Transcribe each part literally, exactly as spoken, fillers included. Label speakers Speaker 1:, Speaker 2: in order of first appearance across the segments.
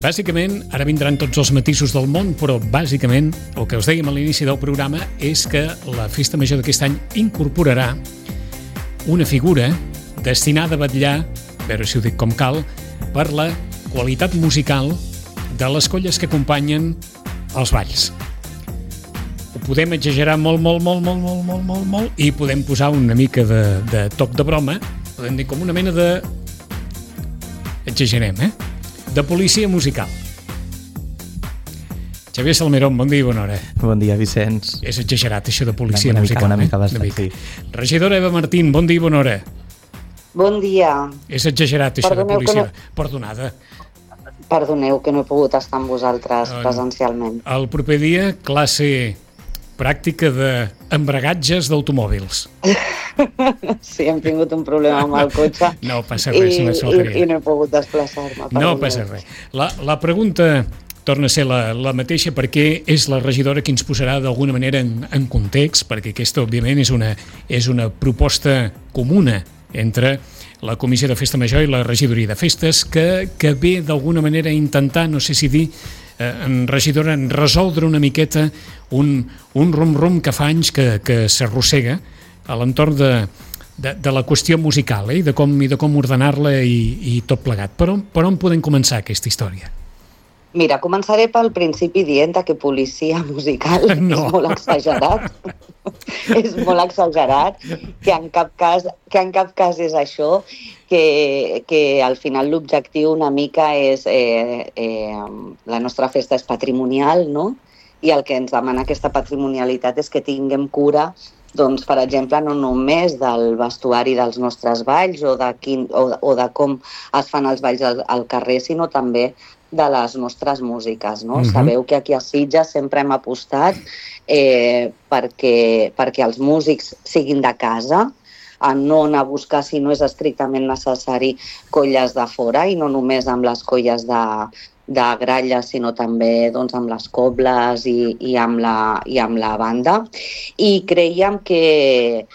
Speaker 1: Bàsicament, ara vindran tots els matisos del món, però bàsicament el que us dèiem a l'inici del programa és que la Festa Major d'aquest any incorporarà una figura destinada a vetllar, a veure si ho dic com cal, per la qualitat musical de les colles que acompanyen els balls. Ho podem exagerar molt, molt, molt, molt, molt, molt, molt, molt, i podem posar una mica de, de toc de broma, podem dir com una mena de... exagerem, eh? de policia musical. Xavier Salmerón, bon dia i bona hora.
Speaker 2: Bon dia, Vicenç.
Speaker 1: És exagerat, això de policia
Speaker 2: una
Speaker 1: musical.
Speaker 2: Mica, una mica,
Speaker 1: eh?
Speaker 2: bastant, sí.
Speaker 1: Regidora Eva Martín, bon dia i bona hora.
Speaker 3: Bon dia.
Speaker 1: És exagerat, això
Speaker 3: Perdoneu
Speaker 1: de policia.
Speaker 3: no...
Speaker 1: Perdonada.
Speaker 3: Perdoneu que no he pogut estar amb vosaltres no, presencialment.
Speaker 1: El proper dia, classe pràctica d'embragatges d'automòbils.
Speaker 3: Sí, hem tingut un problema amb el cotxe.
Speaker 1: No passa res,
Speaker 3: i,
Speaker 1: no
Speaker 3: i, i no he pogut desplaçar-me.
Speaker 1: No passa res. La, la pregunta torna a ser la, la mateixa perquè és la regidora qui ens posarà d'alguna manera en, en context, perquè aquesta, òbviament, és una, és una proposta comuna entre la Comissió de Festa Major i la Regidoria de Festes que, que ve d'alguna manera a intentar, no sé si dir, en regidora, en resoldre una miqueta un, un rum-rum que fa anys que, que s'arrossega a l'entorn de, de, de la qüestió musical, eh? I de com, i de com ordenar-la i, i tot plegat. Per on, per on podem començar aquesta història?
Speaker 3: Mira, començaré pel principi dient que policia musical no. és molt exagerat. és molt exagerat, que en cap cas, que en cap cas és això, que, que al final l'objectiu una mica és... Eh, eh, la nostra festa és patrimonial, no? I el que ens demana aquesta patrimonialitat és que tinguem cura, doncs, per exemple, no només del vestuari dels nostres balls o de, quin, o, o de com es fan els balls al, al carrer, sinó també de les nostres músiques, no? Uh-huh. Sabeu que aquí a Sitges sempre hem apostat eh, perquè, perquè els músics siguin de casa, a no anar a buscar, si no és estrictament necessari, colles de fora, i no només amb les colles de, de gralla, sinó també doncs, amb les cobles i, i, amb la, i amb la banda. I creiem que,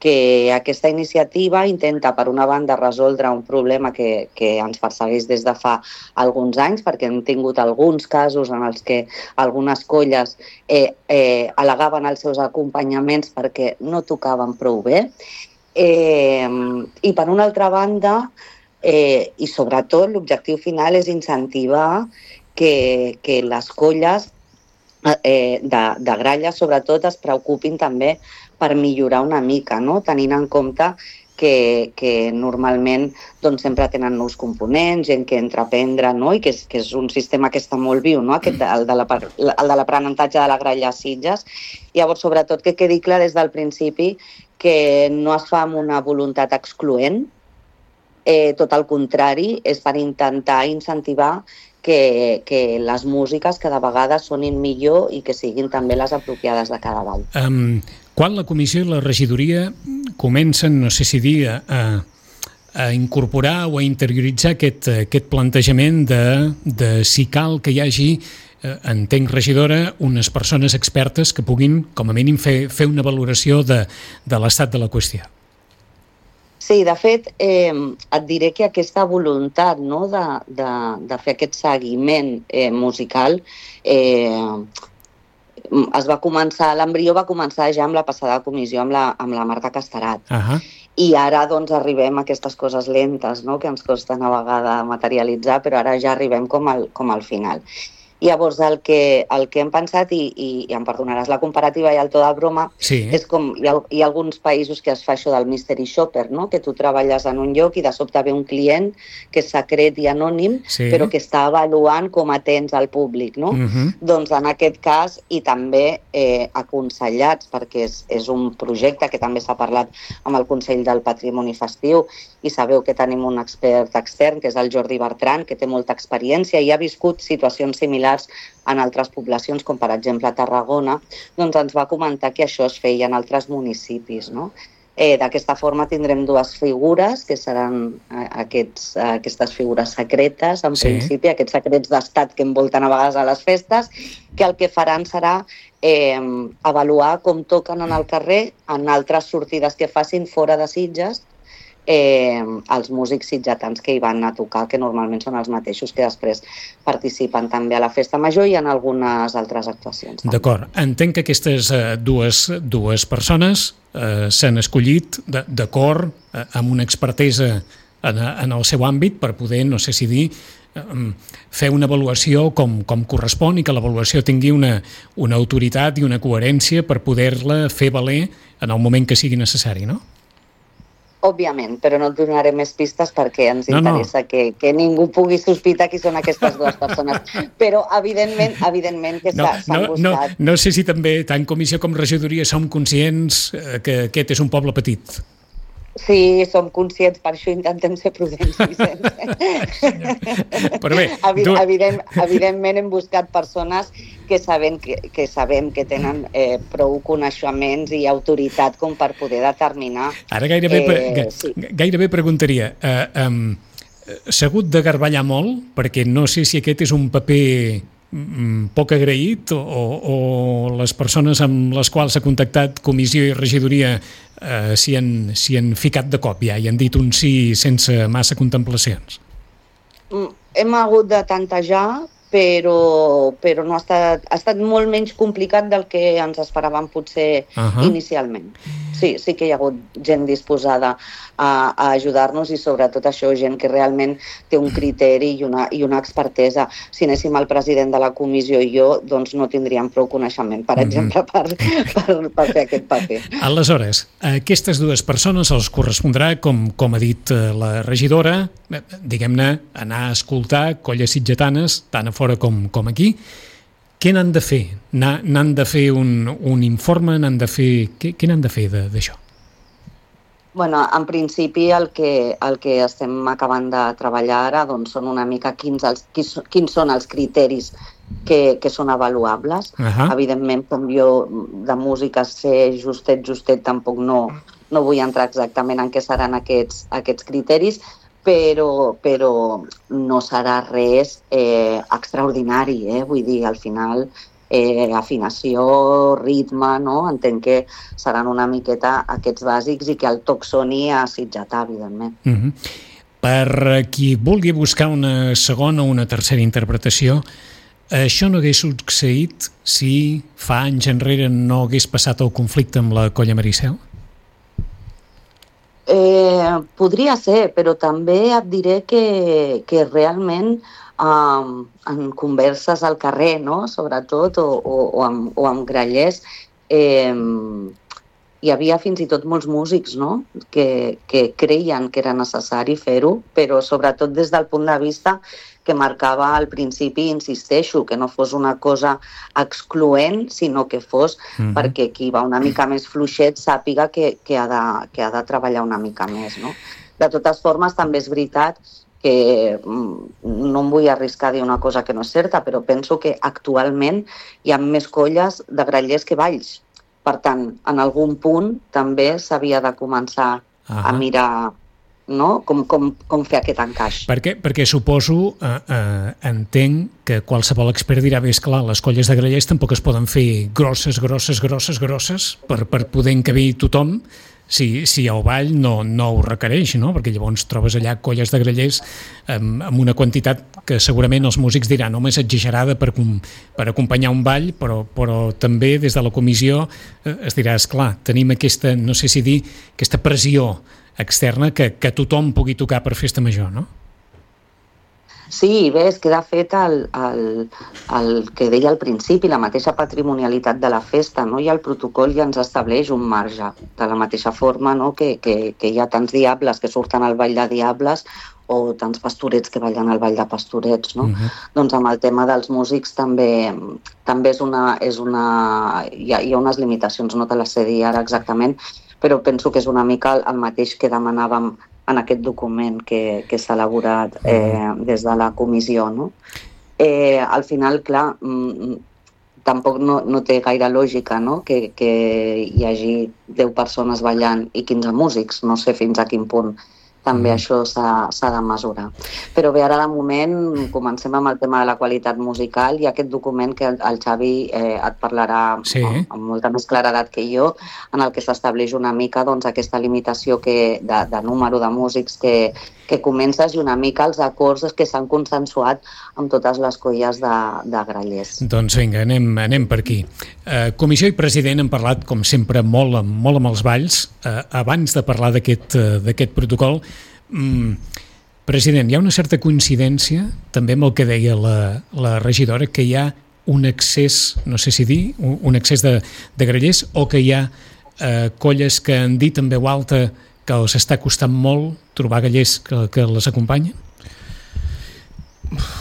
Speaker 3: que aquesta iniciativa intenta, per una banda, resoldre un problema que, que ens persegueix des de fa alguns anys, perquè hem tingut alguns casos en els que algunes colles eh, eh, al·legaven els seus acompanyaments perquè no tocaven prou bé. Eh, I per una altra banda, eh, i sobretot l'objectiu final és incentivar que, que les colles eh, de, de gralla sobretot es preocupin també per millorar una mica, no? Tenint en compte que, que normalment doncs, sempre tenen nous components, gent que entra a aprendre, no? I que és, que és un sistema que està molt viu, no? Aquest, el de l'aprenentatge de la gralla a Sitges. Llavors, sobretot, que quedi clar des del principi que no es fa amb una voluntat excloent, eh, tot el contrari, és per intentar incentivar que, que les músiques cada vegada sonin millor i que siguin també les apropiades de cada ball.
Speaker 1: Um, quan la comissió i la regidoria comencen, no sé si dir, a, a incorporar o a interioritzar aquest, aquest plantejament de, de si cal que hi hagi, entenc, regidora, unes persones expertes que puguin, com a mínim, fer, fer una valoració de, de l'estat de la qüestió.
Speaker 3: Sí, de fet, eh, et diré que aquesta voluntat, no, de, de, de fer aquest seguiment eh, musical eh, es va començar, l'embrió va començar ja amb la passada comissió amb la, amb la Marta Casterat. Uh-huh. I ara doncs arribem a aquestes coses lentes, no?, que ens costen a vegades materialitzar, però ara ja arribem com al, com al final. Llavors, el que, el que hem pensat, i, i, i em perdonaràs la comparativa i el to de broma, sí. és com hi ha, hi ha alguns països que es fa això del mystery shopper, no? Que tu treballes en un lloc i de sobte ve un client que és secret i anònim, sí. però que està avaluant com atens al públic, no? Uh-huh. Doncs en aquest cas, i també eh, aconsellats, perquè és, és un projecte que també s'ha parlat amb el Consell del Patrimoni Festiu, i sabeu que tenim un expert extern, que és el Jordi Bertran, que té molta experiència i ha viscut situacions similars en altres poblacions, com per exemple a Tarragona, doncs ens va comentar que això es feia en altres municipis, no? Eh, d'aquesta forma tindrem dues figures, que seran aquests, aquestes figures secretes, en sí. principi, aquests secrets d'estat que envolten a vegades a les festes, que el que faran serà eh, avaluar com toquen en el carrer en altres sortides que facin fora de Sitges, eh, els músics sitgetans que hi van a tocar, que normalment són els mateixos que després participen també a la Festa Major i en algunes altres actuacions. També.
Speaker 1: D'acord. Entenc que aquestes eh, dues, dues persones eh, s'han escollit d'acord eh, amb una expertesa en, en el seu àmbit per poder, no sé si dir, fer una avaluació com, com correspon i que l'avaluació tingui una, una autoritat i una coherència per poder-la fer valer en el moment que sigui necessari, no?
Speaker 3: Òbviament, però no et donaré més pistes perquè ens
Speaker 1: no,
Speaker 3: interessa
Speaker 1: no.
Speaker 3: Que, que ningú pugui sospitar qui són aquestes dues persones. Però, evidentment, evidentment que
Speaker 1: no,
Speaker 3: s'han
Speaker 1: no,
Speaker 3: buscat...
Speaker 1: No, no sé si també, tant comissió com regidoria, som conscients que aquest és un poble petit.
Speaker 3: Sí, som conscients, per això intentem ser prudents, Vicenç.
Speaker 1: Però bé,
Speaker 3: Evid evident, evidentment hem buscat persones que sabem que, que, sabem que tenen eh, prou coneixements i autoritat com per poder determinar...
Speaker 1: Ara gairebé,
Speaker 3: eh,
Speaker 1: sí. gairebé preguntaria, eh, um, s'ha hagut de garballar molt, perquè no sé si aquest és un paper poc agraït o, o les persones amb les quals s'ha contactat comissió i regidoria eh, s'hi han, s'hi han ficat de cop ja i han dit un sí sense massa contemplacions?
Speaker 3: Hem hagut de tantejar, però, però no ha estat, ha estat molt menys complicat del que ens esperàvem potser uh-huh. inicialment. Sí, sí que hi ha hagut gent disposada a, a ajudar-nos i sobretot això, gent que realment té un criteri i una, i una expertesa. Si anéssim al president de la comissió i jo, doncs no tindríem prou coneixement, per exemple, per, per, per fer aquest paper.
Speaker 1: Aleshores, a aquestes dues persones els correspondrà, com, com ha dit la regidora, diguem-ne, anar a escoltar colles sitgetanes, tant a fora com, com aquí. Què n'han de fer? N'han de fer un, un informe? N'han de fer... Què, què n'han de fer d'això?
Speaker 3: Bueno, en principi el que, el que estem acabant de treballar ara doncs, són una mica quins, els, quins, quins són els criteris que, que són avaluables. Uh-huh. Evidentment, com jo de música sé justet, justet, tampoc no, no vull entrar exactament en què seran aquests, aquests criteris, però, però no serà res eh, extraordinari, eh? Vull dir, al final eh, afinació, ritme, no? Entenc que seran una miqueta aquests bàsics i que el toc soni a sitgetar, evidentment.
Speaker 1: Uh-huh. Per qui vulgui buscar una segona o una tercera interpretació, això no hagués succeït si fa anys enrere no hagués passat el conflicte amb la Colla Maricel?
Speaker 3: Eh, podria ser, però també et diré que, que realment um, en converses al carrer, no? Sobretot, o, o, o, amb, o amb grallers, eh, hi havia fins i tot molts músics, no? que, que creien que era necessari fer-ho, però sobretot des del punt de vista que marcava al principi, insisteixo, que no fos una cosa excloent, sinó que fos mm-hmm. perquè qui va una mica més fluixet sàpiga que, que, ha de, que ha de treballar una mica més. No? De totes formes, també és veritat que no em vull arriscar a dir una cosa que no és certa, però penso que actualment hi ha més colles de grallers que balls. Per tant, en algun punt també s'havia de començar uh-huh. a mirar... no? Com, com, com fer aquest encaix.
Speaker 1: Perquè, perquè suposo, eh, eh, entenc que qualsevol expert dirà, bé, esclar, les colles de grallers tampoc es poden fer grosses, grosses, grosses, grosses per, per poder encabir tothom si, si el ball no, no ho requereix, no? Perquè llavors trobes allà colles de grallers amb, amb una quantitat que segurament els músics diran home, és exagerada per, per acompanyar un ball, però, però també des de la comissió es dirà, esclar, tenim aquesta, no sé si dir, aquesta pressió externa que, que tothom pugui tocar per festa major, no?
Speaker 3: Sí, bé, es queda fet el, el, el que deia al principi, la mateixa patrimonialitat de la festa, no? I el protocol ja ens estableix un marge, de la mateixa forma, no? que, que, que hi ha tants diables que surten al ball de diables o tants pastorets que ballen al ball de pastorets, no? Uh-huh. Doncs amb el tema dels músics també, també és una, és una, hi ha, hi ha unes limitacions, no te les sé dir ara exactament, però penso que és una mica el mateix que demanàvem en aquest document que, que s'ha elaborat eh, des de la comissió. No? Eh, al final, clar, mm, tampoc no, no té gaire lògica, no? que, que hi hagi deu persones ballant i quinze músics. No sé fins a quin punt també mm. això s'ha de mesurar. Però bé, ara de moment comencem amb el tema de la qualitat musical i aquest document que el Xavi eh, et parlarà sí. amb, amb molta més claredat que jo, en el que s'estableix una mica doncs, aquesta limitació que, de, de número de músics que, que comences i una mica els acords que s'han consensuat amb totes les colles de, de grallers.
Speaker 1: Doncs vinga, anem, anem per aquí. Eh, comissió i president han parlat, com sempre, molt, molt amb els balls. Eh, abans de parlar d'aquest eh, d'aquest protocol, mm, president, hi ha una certa coincidència també amb el que deia la, la regidora, que hi ha un excés, no sé si dir, un, un excés de, de grallers, o que hi ha eh, colles que han dit en veu alta que els està costant molt trobar grallers que, que les acompanyen?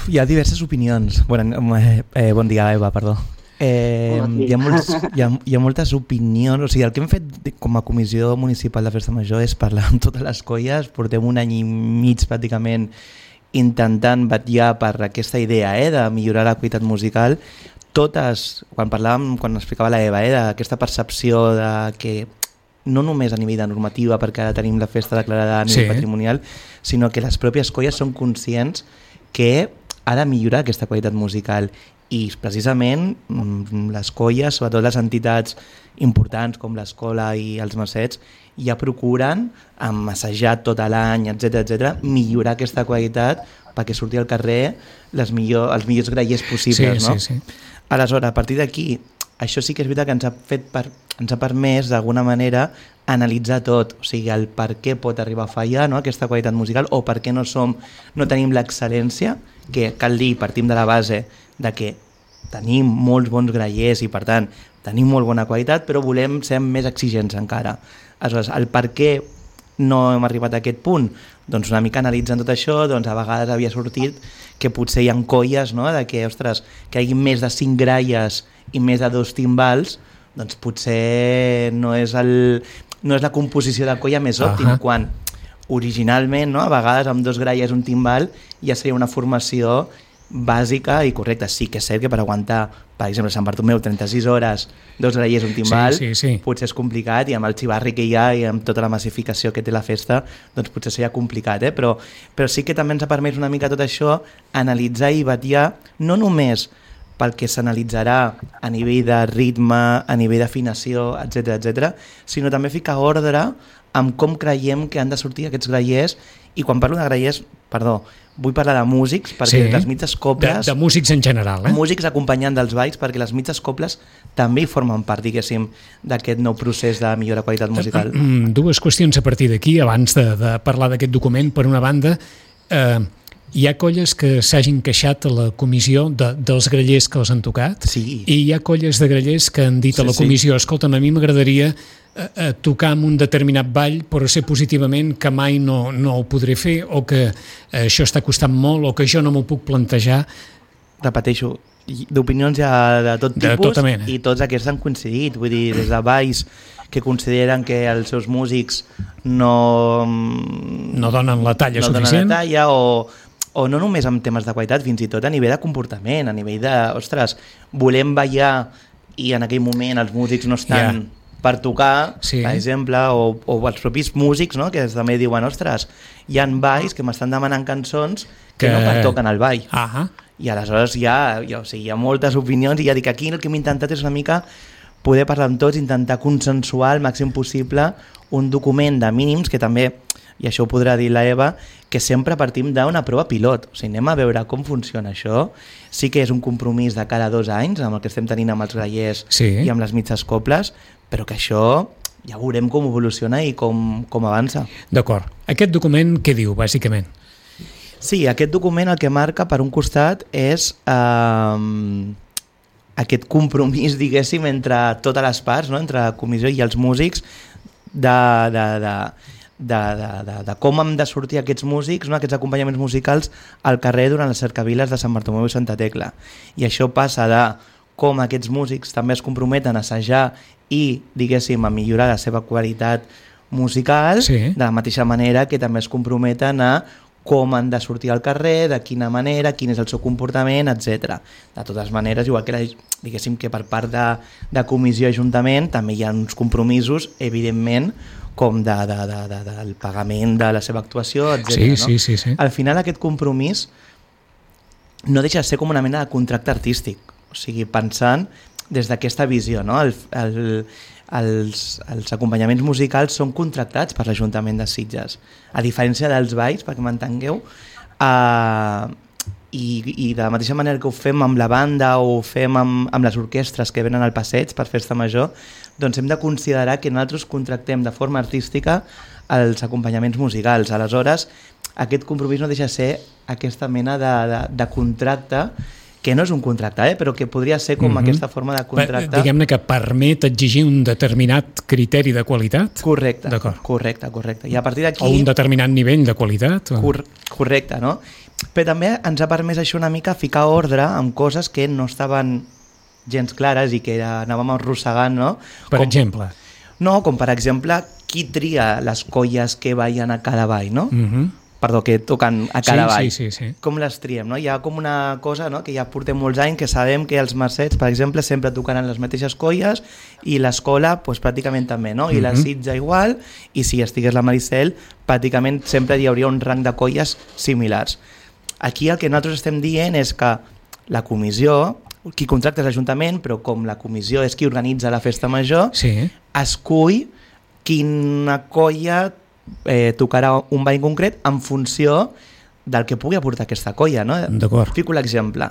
Speaker 2: Hi ha diverses opinions. Bueno, eh, eh, bon dia, Eva, perdó. Eh, hi, ha molts, hi, ha, hi ha moltes opinions, o sigui, el que hem fet com a Comissió Municipal de Festa Major és parlar amb totes les colles. Portem un any i mig pràcticament intentant vetllar per aquesta idea eh, de millorar la qualitat musical. Totes, quan parlàvem, quan explicava la Eva, eh, d'aquesta percepció de que no només a nivell de normativa, perquè ara tenim la festa declarada a nivell sí. patrimonial, sinó que les pròpies colles són conscients que ha de millorar aquesta qualitat musical. I precisament les colles, sobretot les entitats importants com l'escola i els macets, ja procuren, amb assajat tot l'any, etcètera, etcètera, millorar aquesta qualitat perquè surti al carrer les millor, els millors grallers possibles. Sí, no? sí, sí. Aleshores, a partir d'aquí, això sí que és veritat que ens ha, fet per, ens ha permès, d'alguna manera, analitzar tot, o sigui, el per què pot arribar a fallar no? aquesta qualitat musical o per què no, som, no tenim l'excel·lència, que cal dir, partim de la base de que tenim molts bons grallers i per tant tenim molt bona qualitat, però volem ser més exigents encara. Aleshores, el per què no hem arribat a aquest punt? Doncs una mica analitzant tot això, doncs a vegades havia sortit que potser hi ha colles, no? De que, ostres, que hi hagi més de cinc gralles i més de dos timbals, doncs potser no és, el, no és la composició de colla més òptima, uh-huh. quan originalment, no? A vegades amb dos gralles i un timbal ja seria una formació bàsica i correcta. Sí que és cert que per aguantar, per exemple, Sant Bartomeu, trenta-sis hores, dos grallers, un timbal, sí, sí, sí. potser és complicat, i amb el xivarri que hi ha i amb tota la massificació que té la festa, doncs potser seria complicat, eh? però, però sí que també ens ha permès una mica tot això, analitzar i vetllar, no només pel que s'analitzarà a nivell de ritme, a nivell d'afinació, etcètera, etcètera, sinó també ficar ordre amb com creiem que han de sortir aquests grallers. I quan parlo de grallers, perdó, vull parlar de músics, perquè sí, les mitges coples...
Speaker 1: De, de músics en general, eh?
Speaker 2: Músics acompanyant dels balls, perquè les mitges coples també hi formen part, diguéssim, d'aquest nou procés de millora qualitat musical.
Speaker 1: Dues qüestions a partir d'aquí, abans de, de parlar d'aquest document. Per una banda, eh, hi ha colles que s'hagin queixat a la comissió de, dels grallers que els han tocat,
Speaker 2: sí.
Speaker 1: i hi ha colles de grallers que han dit sí, a la comissió, sí. escolta'm, a mi m'agradaria a, a tocar amb un determinat ball, però sé positivament que mai no, no ho podré fer, o que això està costant molt, o que jo no m'ho puc plantejar.
Speaker 2: Repeteixo, d'opinions hi ha de tot tipus,
Speaker 1: de tota mena.
Speaker 2: I tots aquests han coincidit, vull dir, des de balls que consideren que els seus músics no...
Speaker 1: no donen la talla
Speaker 2: no
Speaker 1: suficient.
Speaker 2: No donen la talla, o... o no només en temes de qualitat, fins i tot a nivell de comportament, a nivell de, ostres, volem ballar i en aquell moment els músics no estan yeah. per tocar, sí. per exemple, o, o els propis músics, no? Que també diuen, ostres, hi ha balls que m'estan demanant cançons que, que no pertoquen al ball.
Speaker 1: Uh-huh.
Speaker 2: I aleshores hi ha, hi, ha, o sigui, hi ha moltes opinions, i ja dic, aquí el que hem intentat és una mica poder parlar amb tots, intentar consensuar el màxim possible un document de mínims que també, i això ho podrà dir la Eva, que sempre partim d'una prova pilot. O sigui, anem a veure com funciona això. Sí que és un compromís de cada dos anys amb el que estem tenint amb els grallers sí. i amb les mitges coples, però que això ja veurem com evoluciona i com, com avança.
Speaker 1: D'acord. Aquest document què diu, bàsicament?
Speaker 2: Sí, aquest document el que marca, per un costat, és eh, aquest compromís, diguéssim, entre totes les parts, no? Entre la comissió i els músics, de... de, de De, de, de, de com hem de sortir aquests músics, no? Aquests acompanyaments musicals al carrer durant les cercaviles de Sant Bartomeu i Santa Tecla. I això passa de com aquests músics també es comprometen a assajar i, diguéssim, a millorar la seva qualitat musical, sí. de la mateixa manera que també es comprometen a com han de sortir al carrer, de quina manera, quin és el seu comportament, etcètera. De totes maneres, igual que, la, diguéssim, que per part de, de comissió i ajuntament també hi ha uns compromisos, evidentment, com de, de, de, de, del pagament de la seva actuació, etcètera.
Speaker 1: Sí, sí, sí, sí.
Speaker 2: Al final aquest compromís no deixa de ser com una mena de contracte artístic, o sigui, pensant des d'aquesta visió, no? El, el, els, els acompanyaments musicals són contractats per l'Ajuntament de Sitges, a diferència dels balls, perquè m'entengueu, eh, i, i de la mateixa manera que ho fem amb la banda o ho fem amb, amb les orquestres que venen al passeig per festa major, doncs hem de considerar que nosaltres contractem de forma artística els acompanyaments musicals. Aleshores, aquest compromís no deixa de ser aquesta mena de, de, de contracte, que no és un contracte, eh? Però que podria ser com mm-hmm. aquesta forma de contracte.
Speaker 1: Diguem-ne que permet exigir un determinat criteri de qualitat?
Speaker 2: Correcte, correcte, correcte. I a partir d'aquí...
Speaker 1: O un determinat nivell de qualitat? O...
Speaker 2: Cor correcte, no? Però també ens ha permès això una mica ficar ordre amb coses que no estaven gens clares i que anàvem arrossegant, no?
Speaker 1: Per
Speaker 2: com,
Speaker 1: exemple?
Speaker 2: No, com per exemple, qui tria les colles que ballen a cada ball, no?
Speaker 1: Mm-hmm.
Speaker 2: Perdó, que toquen a cada
Speaker 1: sí,
Speaker 2: ball.
Speaker 1: Sí, sí, sí.
Speaker 2: Com les triem, no? Hi ha com una cosa, no?, que ja portem molts anys, que sabem que els Mercets, per exemple, sempre tocaran les mateixes colles i l'escola, pues, pràcticament també, no? I mm-hmm. la Sitja igual, i si estigués la Maricel, pràcticament sempre hi hauria un rang de colles similars. Aquí el que nosaltres estem dient és que la comissió, qui contracta és l'Ajuntament, però com la comissió és qui organitza la festa major,
Speaker 1: sí.
Speaker 2: escull quina colla eh, tocarà un ball concret en funció del que pugui aportar aquesta colla, no?
Speaker 1: D'acord.
Speaker 2: Fico l'exemple.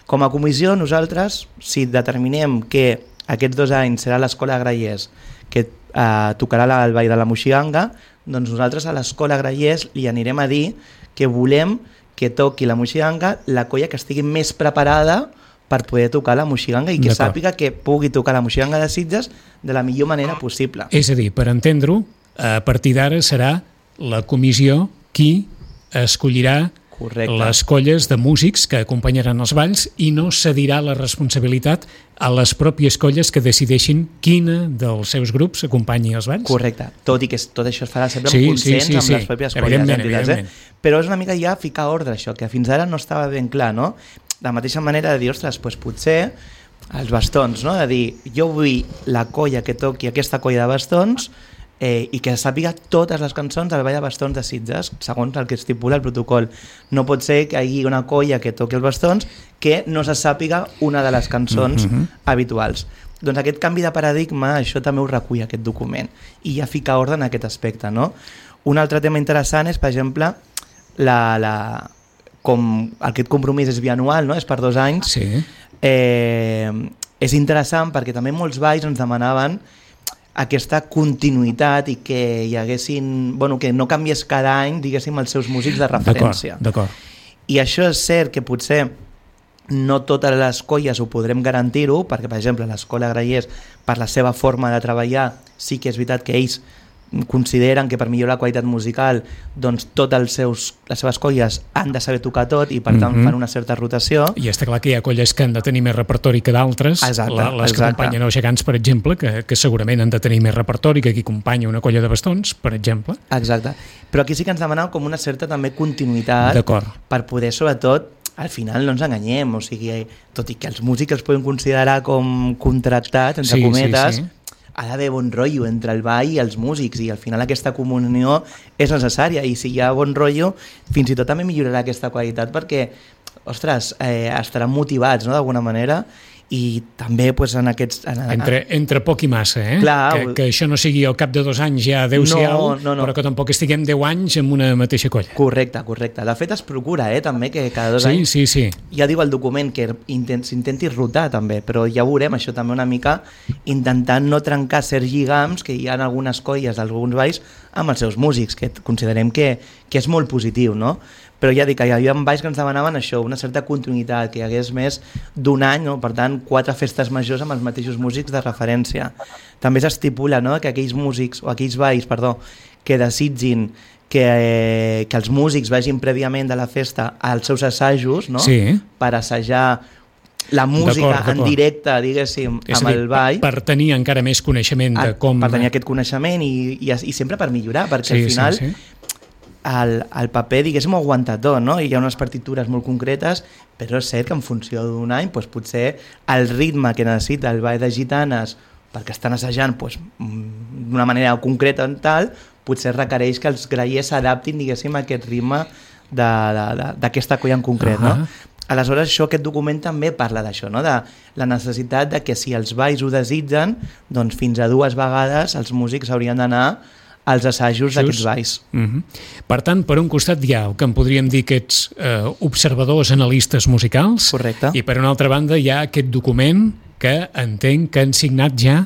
Speaker 2: Com a comissió, nosaltres, si determinem que aquests dos anys serà l'Escola Grallers que eh, tocarà el ball de la Moixiganga, doncs nosaltres a l'Escola Grallers li anirem a dir que volem que toqui la Moixiganga la colla que estigui més preparada per poder tocar la Moixiganga i que sàpiga que pugui tocar la Moixiganga de Sitges de la millor manera possible.
Speaker 1: És a dir, per entendre-ho, a partir d'ara serà la comissió qui escollirà
Speaker 2: Correcte.
Speaker 1: Les colles de músics que acompanyaran els balls i no cedirà la responsabilitat a les pròpies colles que decideixin quina dels seus grups acompanyi els balls.
Speaker 2: Correcte, tot i que tot això es farà sempre
Speaker 1: sí,
Speaker 2: en consens
Speaker 1: sí, sí,
Speaker 2: amb
Speaker 1: sí.
Speaker 2: les pròpies colles.
Speaker 1: Evidentment, evidentment.
Speaker 2: Eh? Però és una mica ja ficar ordre això, que fins ara no estava ben clar, no? De la mateixa manera de dir, ostres, doncs potser els bastons, no? De dir, jo vull la colla que toqui aquesta colla de bastons eh, i que sàpiga totes les cançons del ball de bastons de Sitges, segons el que estipula el protocol. No pot ser que hi hagi una colla que toqui els bastons que no se sàpiga una de les cançons mm-hmm. habituals. Doncs aquest canvi de paradigma, això també ho recull aquest document, i ja fica ordre en aquest aspecte, no? Un altre tema interessant és, per exemple, la, la, com aquest compromís és bianual, no? És per dos anys,
Speaker 1: sí.
Speaker 2: eh, és interessant perquè també molts balls ens demanaven aquesta continuïtat i que hi haguessin, bueno, que no canviés cada any, diguéssim, els seus músics de referència.
Speaker 1: D'acord, d'acord.
Speaker 2: I això és cert que potser no totes les colles ho podrem garantir-ho, perquè, per exemple, l'Escola Grallers, per la seva forma de treballar, sí que és veritat que ells consideren que per millorar la qualitat musical doncs totes els seus, les seves colles han de saber tocar tot i per tant mm-hmm. fan una certa rotació.
Speaker 1: I està clar que hi ha colles que han de tenir més repertori que d'altres, les que
Speaker 2: exacte.
Speaker 1: acompanyen els gegants, per exemple, que, que segurament han de tenir més repertori que qui acompanya una colla de bastons, per exemple.
Speaker 2: Exacte, però aquí sí que ens demanava com una certa també continuïtat per poder, sobretot, al final no ens enganyem, o sigui, tot i que els músics els podem considerar com contractats, entre
Speaker 1: sí,
Speaker 2: cometes,
Speaker 1: sí, sí.
Speaker 2: ha d'haver bon rotllo entre el ball i els músics i al final aquesta comunió és necessària i si hi ha bon rotllo fins i tot també millorarà aquesta qualitat perquè, ostres, eh, estaran motivats, no?, d'alguna manera i també pues, en aquests... En,
Speaker 1: entre, entre poc i massa, eh?
Speaker 2: Clar,
Speaker 1: que, que això no sigui al cap de dos anys ja adeu-siau,
Speaker 2: no, no, no.
Speaker 1: però que tampoc estiguem deu anys en una mateixa colla.
Speaker 2: Correcte, correcte. De fet es procura, eh, també, que cada dos
Speaker 1: sí,
Speaker 2: anys...
Speaker 1: Sí, sí,
Speaker 2: ja diu el document que s'intenti rotar també, però ja veurem això també una mica intentant no trencar certs lligams que hi ha en algunes colles d'alguns balls amb els seus músics, que considerem que, que és molt positiu, no? Però ja dic que hi havia balls que ens demanaven això, una certa continuïtat, que hi hagués més d'un any, no? Per tant, quatre festes majors amb els mateixos músics de referència. També s'estipula, no?, que aquells músics, o aquells balls, perdó, que desitgin que, eh, que els músics vagin prèviament de la festa als seus assajos, no?,
Speaker 1: sí.
Speaker 2: per assajar la música en directe, diguéssim,
Speaker 1: és
Speaker 2: amb
Speaker 1: dir,
Speaker 2: el ball.
Speaker 1: Per, per tenir encara més coneixement de com...
Speaker 2: Per tenir aquest coneixement i, i, i sempre per millorar, perquè
Speaker 1: sí,
Speaker 2: al final...
Speaker 1: Sí, sí.
Speaker 2: El, el paper, diguéssim, ho aguanta tot, no? Hi ha unes partitures molt concretes, però és cert que en funció d'un any doncs, potser el ritme que necessita el ball de gitanes perquè estan assajant doncs, d'una manera concreta en tal, potser requereix que els grallers s'adaptin, diguéssim, a aquest ritme d'aquesta colla en concret, uh-huh. no? Aleshores, això, aquest document també parla d'això, no? De la necessitat de que si els balls ho desitgen, doncs fins a dues vegades els músics haurien d'anar als assajos d'aquests balls.
Speaker 1: Uh-huh. Per tant, per un costat hi ha el que en podríem dir aquests eh, observadors, analistes musicals.
Speaker 2: Correcte.
Speaker 1: I per una altra banda hi ha aquest document que entenc que han signat ja.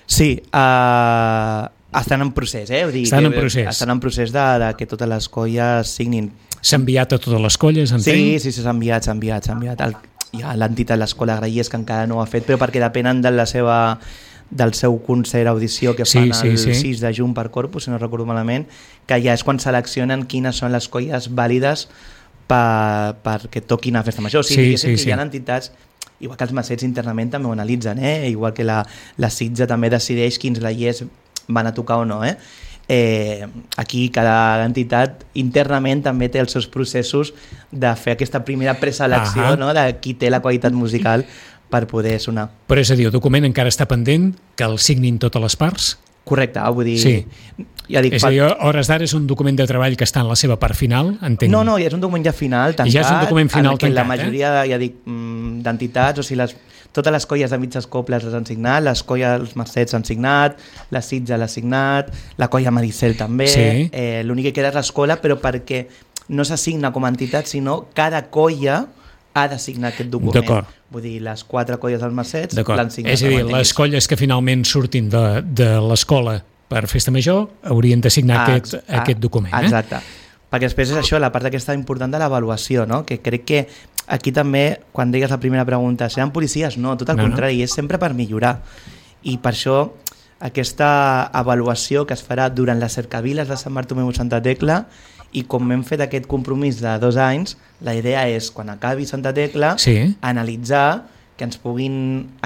Speaker 2: Sí, uh, estan en procés, eh? Vull dir,
Speaker 1: estan en procés.
Speaker 2: Estan en procés de, de que totes les colles signin.
Speaker 1: S'ha enviat a totes les colles, entenc?
Speaker 2: Sí, sí, s'ha enviat, s'ha enviat, s'ha enviat. El, hi ha l'entitat, l'Escola Grallers, que encara no ho ha fet, però perquè depenen de la seva, del seu concert audició que fan sí, sí, el sí. sis de juny per Corpus, si no recordo malament, que ja és quan seleccionen quines són les colles vàlides per, perquè toquin a Festa Major. O sigui, sí, sí, sí. Hi ha entitats, igual que els macets internament també ho analitzen, eh? Igual que la, la Sitja també decideix quins grallers van a tocar o no, eh? Eh, aquí cada entitat internament també té els seus processos de fer aquesta primera preselecció, no? De qui té la qualitat musical per poder sonar.
Speaker 1: Però és a dir, el document encara està pendent que el signin totes les parts?
Speaker 2: Correcte, vull dir...
Speaker 1: Sí.
Speaker 2: Ja dic,
Speaker 1: és a dir, a hores d'ara és un document de treball que està en la seva part final, entenc?
Speaker 2: No, no, ja és un document ja final, tancat,
Speaker 1: I ja és un document final
Speaker 2: en què
Speaker 1: tancat,
Speaker 2: la majoria, eh? ja dic, d'entitats, o sigui, les, totes les colles de mitges cobles les han signat, les colles dels Mercets han signat, la Sitja l'ha signat, la colla Maricel també, sí. eh, l'únic que queda és l'escola, però perquè no s'assigna com a entitat, sinó cada colla ha de signar aquest document.
Speaker 1: D'acord.
Speaker 2: Vull dir, les quatre colles dels Mercets l'han signat.
Speaker 1: És a dir, les colles que finalment surtin de, de l'escola per Festa Major haurien de signar ah, aquest, ah, aquest document.
Speaker 2: Exacte.
Speaker 1: Eh?
Speaker 2: Perquè després és això, la part aquesta important de l'avaluació, no? Que crec que aquí també, quan digues la primera pregunta, seran policies? No, tot el no, contrari, no. És sempre per millorar. I per això aquesta avaluació que es farà durant les cercaviles de Sant Bartomeu i Santa Tecla, i com hem fet aquest compromís de dos anys, la idea és, quan acabi Santa Tecla, sí. analitzar, que ens puguin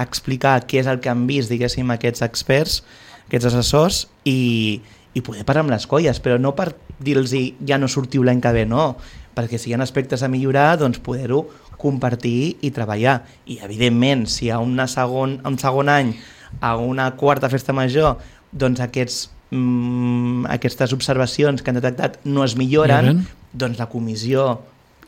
Speaker 2: explicar què és el que han vist, diguéssim, aquests experts, aquests assessors, i, i poder parlar amb les colles, però no per dir-los ja no sortiu l'any que ve, no, perquè si hi ha aspectes a millorar, doncs poder-ho compartir i treballar. I, evidentment, si a una segon, un segon any, a una quarta festa major, doncs aquests Mm, aquestes observacions que han detectat no es milloren, Miren. doncs la comissió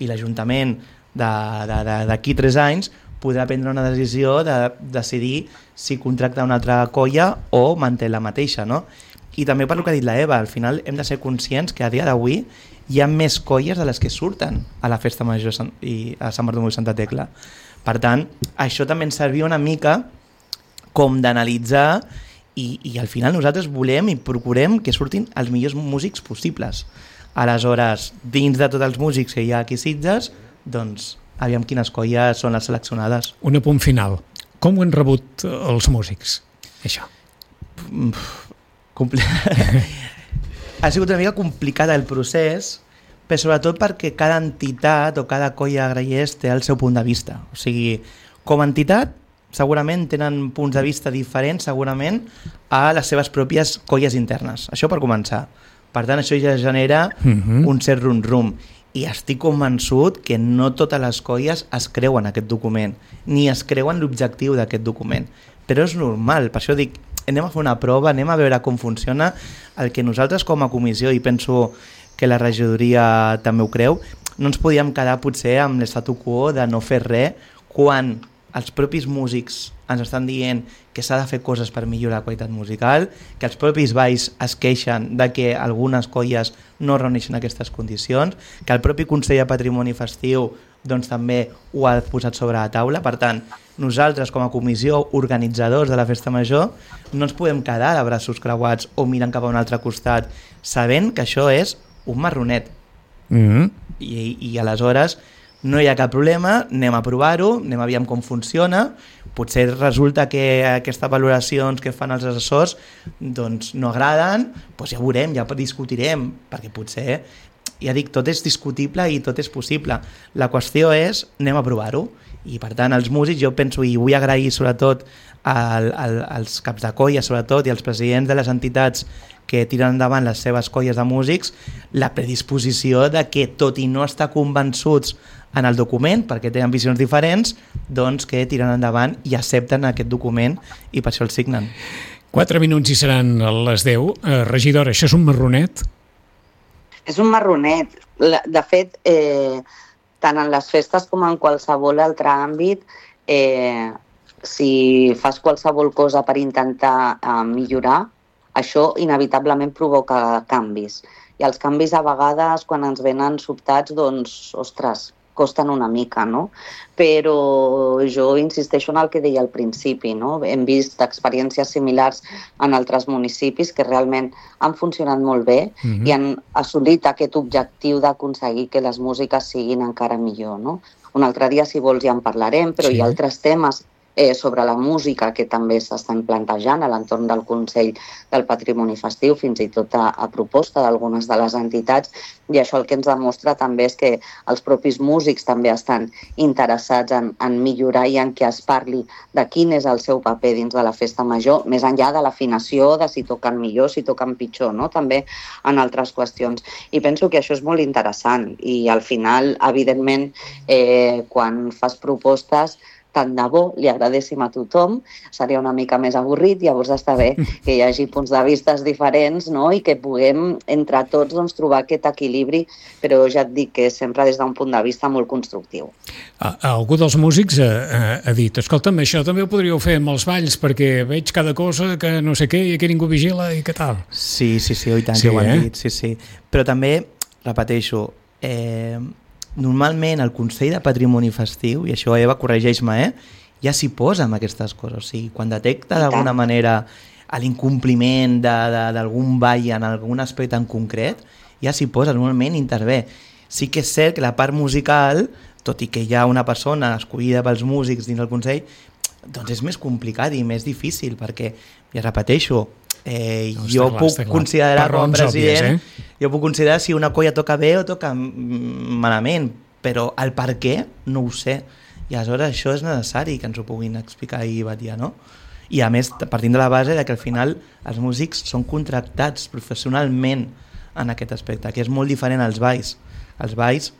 Speaker 2: i l'Ajuntament d'aquí tres anys podrà prendre una decisió de decidir si contracta una altra colla o manté la mateixa, no? I també per el que ha dit la Eva, al final hem de ser conscients que a dia d'avui hi ha més colles de les que surten a la Festa Major i a Sant Bartomeu i Santa Tecla. Per tant, això també ens servia una mica com d'analitzar I, i al final nosaltres volem i procurem que surtin els millors músics possibles. Aleshores, dins de tots els músics que hi ha aquí a Sitges, doncs aviam quines colles són les seleccionades.
Speaker 1: Un apunt final. Com ho han rebut els músics, això?
Speaker 2: Compl... ha sigut una mica complicat el procés, però sobretot perquè cada entitat o cada colla grallers té el seu punt de vista. O sigui, com a entitat, segurament tenen punts de vista diferents segurament a les seves pròpies colles internes. Això per començar. Per tant, això ja genera uh-huh. un cert rum-rum. I estic convençut que no totes les colles es creuen aquest document, ni es creuen l'objectiu d'aquest document. Però és normal, per això dic, anem a fer una prova, anem a veure com funciona el que nosaltres com a comissió, i penso que la regidoria també ho creu, no ens podíem quedar potser amb l'estatu quo de no fer res quan els propis músics ens estan dient que s'ha de fer coses per millorar la qualitat musical, que els propis balls es queixen de que algunes colles no reuneixen aquestes condicions, que el propi Consell de Patrimoni Festiu doncs, també ho ha posat sobre la taula. Per tant, nosaltres com a comissió organitzadors de la Festa Major no ens podem quedar de braços creuats o mirant cap a un altre costat sabent que això és un marronet. Mm-hmm. I, i aleshores no hi ha cap problema, anem a provar-ho, anem a veure com funciona. Potser resulta que aquestes valoracions que fan els assessors doncs no agraden, doncs ja veurem, ja discutirem, perquè potser, ja dic, tot és discutible i tot és possible. La qüestió és, anem a provar-ho. I per tant, els músics, jo penso, i vull agrair sobretot al, al, als caps de colla, sobretot, i als presidents de les entitats que tiren endavant les seves colles de músics, la predisposició de que, tot i no estar convençuts en el document, perquè tenen visions diferents, doncs que tiren endavant i accepten aquest document i per això el signen.
Speaker 1: Quatre minuts i seran les deu. Uh, regidora, això és un marronet?
Speaker 3: És un marronet. De fet, eh, tant en les festes com en qualsevol altre àmbit, eh, si fas qualsevol cosa per intentar eh, millorar, això inevitablement provoca canvis. I els canvis a vegades, quan ens venen sobtats, doncs, ostres, costen una mica, no? Però jo insisteixo en el que deia al principi, no? Hem vist experiències similars en altres municipis que realment han funcionat molt bé mm-hmm. i han assolit aquest objectiu d'aconseguir que les músiques siguin encara millor, no? Un altre dia, si vols, ja en parlarem, però sí. Hi ha altres temes eh, sobre la música que també s'estan plantejant a l'entorn del Consell del Patrimoni Festiu, fins i tot a, a proposta d'algunes de les entitats, i això el que ens demostra també és que els propis músics també estan interessats en, en millorar i en que es parli de quin és el seu paper dins de la festa major, més enllà de l'afinació, de si toquen millor, si toquen pitjor, no? També en altres qüestions. I penso que això és molt interessant i al final, evidentment, eh, quan fas propostes, tant de bo li agradéssim a tothom, seria una mica més avorrit, llavors està bé que hi hagi punts de vista diferents, no? I que puguem entre tots doncs, trobar aquest equilibri, però ja et dic que sempre des d'un punt de vista molt constructiu.
Speaker 1: A, algú dels músics ha, ha, ha dit, escolta'm, això també ho podríeu fer amb els balls, perquè veig cada cosa que no sé què i que ningú vigila i què tal.
Speaker 2: Sí, sí, sí, oi tant,
Speaker 1: sí,
Speaker 2: que ho han
Speaker 1: eh?
Speaker 2: dit, sí, sí. Però també, repeteixo, eh, normalment el Consell de Patrimoni Festiu, i això Eva, corregeix-me, eh, ja s'hi posa amb aquestes coses. O sigui, quan detecta d'alguna manera l'incompliment d'algun ball en algun aspecte en concret, ja s'hi posa, normalment intervé. Sí que és cert que la part musical, tot i que hi ha una persona escollida pels músics dins del Consell, doncs és més complicat i més difícil, perquè, ja repeteixo, Eh, no, jo clar, puc considerar com a president òbvies, eh? jo puc considerar si una colla toca bé o toca malament, però el per què no ho sé, i aleshores això és necessari que ens ho puguin explicar i batllar, no? I a més, partint de la base de que al final els músics són contractats professionalment en aquest aspecte, que és molt diferent als balls. Els balls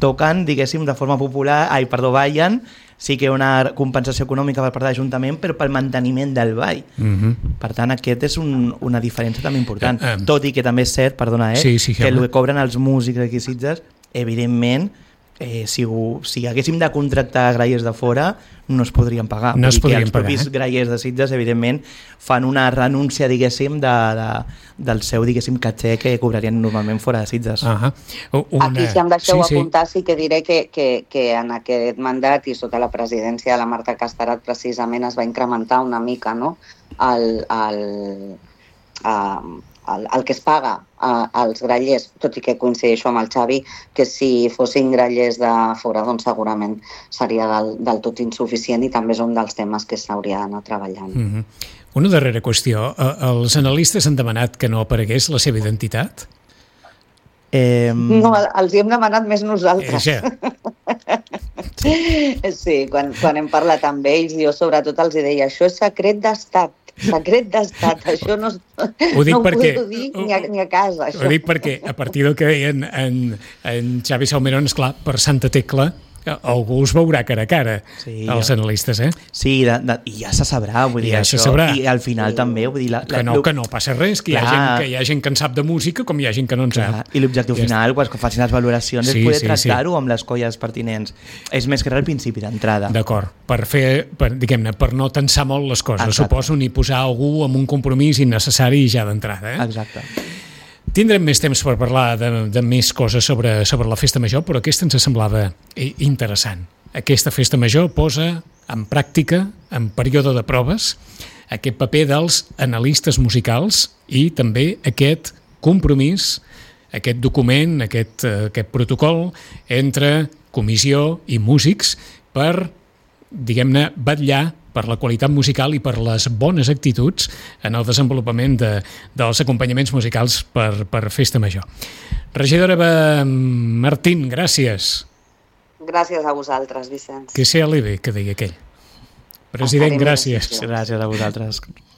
Speaker 2: toquen, diguéssim, de forma popular, ai, perdó, ballen, sí que hi ha una compensació econòmica per part de l'Ajuntament, però pel manteniment del ball. Mm-hmm. Per tant, aquest és un, una diferència també important. Uh, um, Tot i que també és cert, perdona, eh, sí, sí, que el que cobren els músics aquí a Sitges, evidentment, eh, si, ho, si haguéssim de contractar grallers de fora, no es podrien pagar.
Speaker 1: No es podrien
Speaker 2: els
Speaker 1: pagar,
Speaker 2: propis
Speaker 1: eh?
Speaker 2: grallers de Sitges, evidentment, fan una renúncia, diguéssim, de, de, del seu, diguéssim, caché que cobrarien normalment fora de Sitges.
Speaker 1: Uh-huh. Una...
Speaker 3: Aquí, si em deixeu
Speaker 1: sí,
Speaker 3: apuntar, sí. sí que diré que, que, que en aquest mandat i sota la presidència de la Marta Casterat precisament es va incrementar una mica, no?, el, el, el, el, el que es paga als grallers, tot i que coincideixo amb el Xavi, que si fossin grallers de fora, doncs segurament seria del, del tot insuficient i també és un dels temes que s'hauria d'anar treballant.
Speaker 1: Mm-hmm. Una darrera qüestió. Els analistes han demanat que no aparegués la seva identitat?
Speaker 2: Eh...
Speaker 3: No, els hi hem demanat més nosaltres.
Speaker 1: Eh,
Speaker 3: sí, quan, quan hem parlat amb ells, jo sobretot els deia, això és secret d'estat. Secret d'estat, això no, ho no ho
Speaker 1: perquè,
Speaker 3: puc dir ni a, ni a casa. Això.
Speaker 1: Ho dic perquè, a partir del que deien en, en Xavi Salmerón, esclar, per Santa Tecla, algú us veurà cara a cara, sí, els analistes, eh?
Speaker 2: Sí, de, de, i ja se sabrà, vull dir,
Speaker 1: ja
Speaker 2: això,
Speaker 1: sabrà.
Speaker 2: I al final sí. també, vull dir... La,
Speaker 1: que, no, que no passa res, que hi, ha gent, que hi ha gent que en sap de música com hi ha gent que no en
Speaker 2: clar.
Speaker 1: sap.
Speaker 2: I l'objectiu ja final, quan facin les valoracions, sí, és poder sí, tractar-ho sí. amb les colles pertinents. És més que res el principi d'entrada.
Speaker 1: D'acord, per fer, per, diguem-ne, per no tensar molt les coses, exacte. Suposo, ni posar algú amb un compromís innecessari ja d'entrada, eh?
Speaker 2: Exacte.
Speaker 1: Tindrem més temps per parlar de, de més coses sobre, sobre la festa major, però aquesta ens semblava interessant. Aquesta festa major posa en pràctica, en període de proves, aquest paper dels analistes musicals i també aquest compromís, aquest document, aquest, aquest protocol entre comissió i músics per, diguem-ne, vetllar per la qualitat musical i per les bones actituds en el desenvolupament de, dels acompanyaments musicals per, per festa major. Regidora Martín, gràcies.
Speaker 3: Gràcies a vosaltres, Vicenç.
Speaker 1: Que sea leve, que deia aquell. President, gràcies.
Speaker 2: Gràcies a vosaltres.